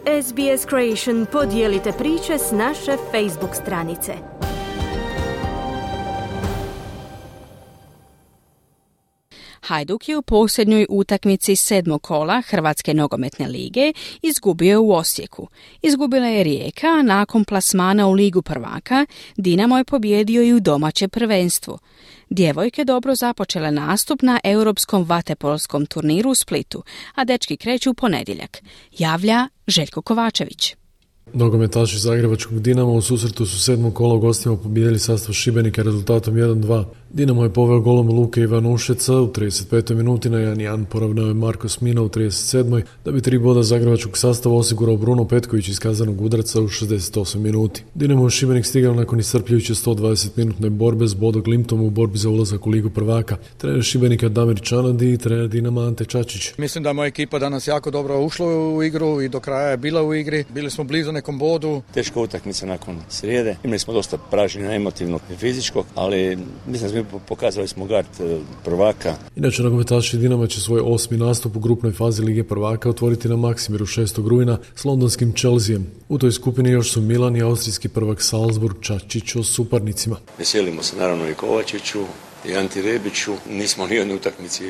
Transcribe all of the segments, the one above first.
SBS Creation podijelite priče s naše Facebook stranice. Hajduk je u posljednjoj utakmici 7. kola Hrvatske nogometne lige izgubio u Osijeku. Izgubila je Rijeka, a nakon plasmana u Ligu prvaka Dinamo je pobijedio i u domaće prvenstvo. Djevojke dobro započele nastup na europskom vaterpolskom turniru u Splitu, a dečki kreću u ponedjeljak. Javlja Željko Kovačević. Nogometaši zagrebačkog Dinama u susretu su 7. kola u gostima pobijedili sastav Šibenika rezultatom 1-2. Dinamo je poveo golom Luke Ivanušeca u 35. minuti, na 1-1 poravnao je Marko Smina u 37. da bi 3 boda zagrebačkog sastava osigurao Bruno Petković iz kazanog udarca u 68 minuti. Dinamo je Šibenik stigao nakon iscrpljujuće 120-minutne borbe s Bodo Glimtom u borbi za ulazak u Ligu prvaka. Trener Šibenika Damir Čanadi i trener Dinama Ante Čačić. Mislim da moja ekipa danas jako dobro ušla u igru i do kraja je bila u igri. Bili smo blizu nekom bodu. Teška utakmica nakon srijede. Imali smo dosta pražnjenja emotivnog i fizičkog, ali mislim da pokazali smo gard prvaka. Inače, nogometaši Dinama će svoj 8. nastup u grupnoj fazi Lige prvaka otvoriti na Maksimiru 6. rujna s londonskim Chelseaem. U toj skupini još su Milan i austrijski prvak Salzburg, Čačić o suparnicima. Veselimo se naravno i Kovačiću i Anti Rebiću. Nismo ni jednoj utakmici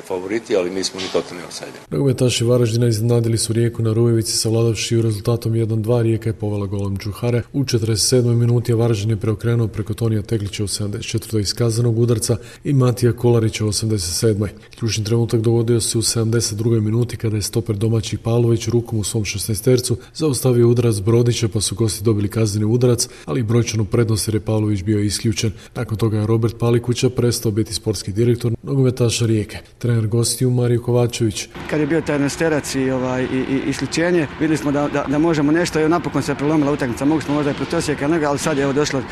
favoriti, ali nismo ni totalni outsider. Nogometaši Varaždina iznenadili su Rijeku na Rujevici savladavši rezultatom 1-2. Rijeka je povela golom Džuhare u 47. minuti, a Varaždin je preokrenuo preko Tonija Teklića u 74. iz kazanog udarca i Matija Kolarića u 87. Ključni trenutak dogodio se u 72. minuti kada je stoper domaćih Pavlović rukom u svom 16-tercu zaustavio udarac Brodića, pa su gosti dobili kazneni udarac, ali i brojčanu prednost jer je Pavlović bio isključen. Nakon toga je Robert Palikuća prestao biti sportski direktor nogometaša Rijeke. Trener gostiju Mario Kovačević. Kad je bio taj nesterac i isključenje, vidjeli smo da možemo nešto i napokon se prelomila utakmica. Mogli smo možda i protiv Osijeka, ali sad je evo došlo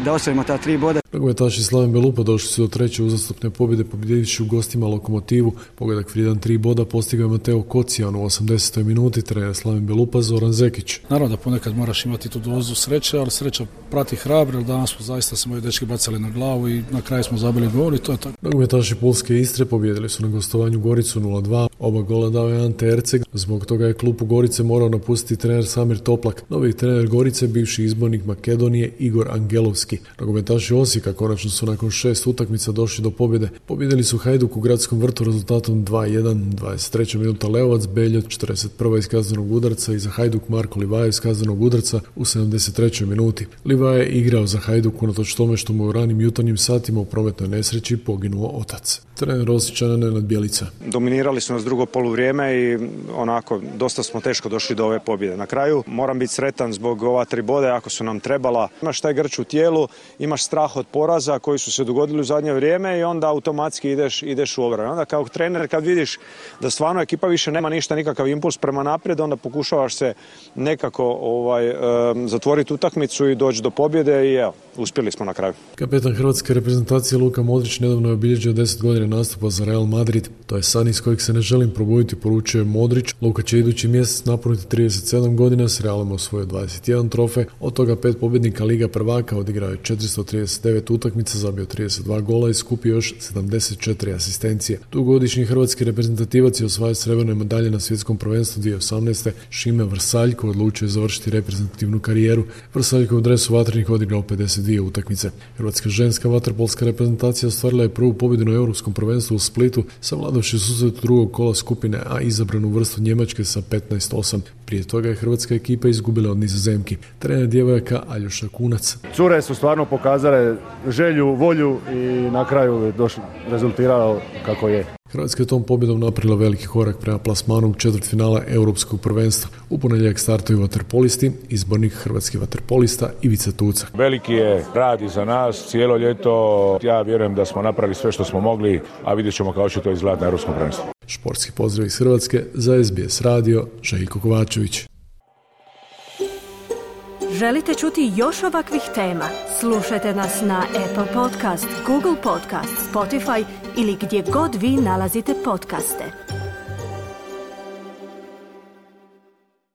da osvojimo ta 3 boda. Nogometaši Slaven Belupa došli su do 3. uzastopne pobjede pobjedivši u gostima Lokomotivu. Pogodak vrijedan 3 boda postigao je Mateo Kocijan u 80. minuti, trener Slaven Belupa Zoran Zekić. Naravno da ponekad moraš imati tu dozu sreće, ali sreća prati hrabre, jer danas smo zaista se moji dečki bacali na glavu i na kraju smo zabili gol i to je tako. Nogometaši Pulske Istre pobjedili su na gostovanju Goricu 0-2. Oba gola dao je Ante Erceg. Zbog toga je klub u Gorice morao napustiti trener Samir Toplak. Novi trener Gorice, bivši izbornik Makedonije Igor Angelovski. Nogometaši Osijeka konačno su nakon 6 utakmica došli do pobjede. Pobjedili su Hajduk u gradskom vrtu rezultatom 2-1, 23. minuta Leovac, Beljot 41. iz kaznenog udarca i za Hajduk Marko Livaja iz kaznenog udarca u 73. minuti. Livaja je igrao za Hajduk unatoč tome što mu u ranim jutarnjim satima u prometnoj nesreći poginuo otac. Trener Osječana Nenad Bjelica. Dominirali su nas drugo poluvrijeme i onako dosta smo teško došli do ove pobjede. Na kraju moram biti sretan zbog ova 3 boda ako su nam trebala. Imaš taj grč u tijelu, imaš strah od poraza koji su se dogodili u zadnje vrijeme i onda automatski ideš u obranu. Onda kao trener kad vidiš da stvarno ekipa više nema ništa, nikakav impuls prema naprijed, onda pokušavaš se nekako zatvoriti utakmicu i doći do pobjede i evo, uspjeli smo na kraju. Kapetan hrvatske reprezentacije Luka Modrić nedavno je obilježio 10 godina nastupa za Real Madrid. To je san iz kojeg se ne želim probuditi, poručuje Modrić. Luka će idući mjesec napuniti 37 godina, s Realom osvojio 21 trofej, od toga 5 pobjednika Liga prvaka, odigrao je 439 utakmica, zabio 32 gola i skupio još 74 asistencije. Dugogodišnji hrvatski reprezentativac je osvajao srebrne medalje na svjetskom prvenstvu 2018. Šime Vrsaljko odlučio je završiti reprezentativnu karijeru. Vrsaljko u dresu Vatrenih odigrao 52 utakmice. Hrvatska ženska vaterpolska reprezentacija ostvarila je prvu pobjedu na europskom prvenstvu u Splitu, savladavši susret drugog kola skupine A izabranu vrstu Njemačke sa 15-8. Prije toga je hrvatska ekipa izgubila od Nizozemki. Trener djevojaka Aljoša Kunac. Cure su stvarno pokazale želju, volju i na kraju je rezultiralo kako je. Hrvatska je tom pobjedom napravila veliki korak prema plasmanu u četvrtfinala europskog prvenstva. U ponedjeljak startuju vaterpolisti, izbornik hrvatskih vaterpolista Ivica Tuca. Veliki je rad iza nas, cijelo ljeto. Ja vjerujem da smo napravili sve što smo mogli, a vidjet ćemo kako će to izgledati na europskom prvenstvu. Športski pozdrav iz Hrvatske za SBS radio, Željko Kovačević. Želite čuti još ovakvih tema? Slušajte nas na Apple Podcast, Google Podcast, Spotify ili gdje god vi nalazite podcaste.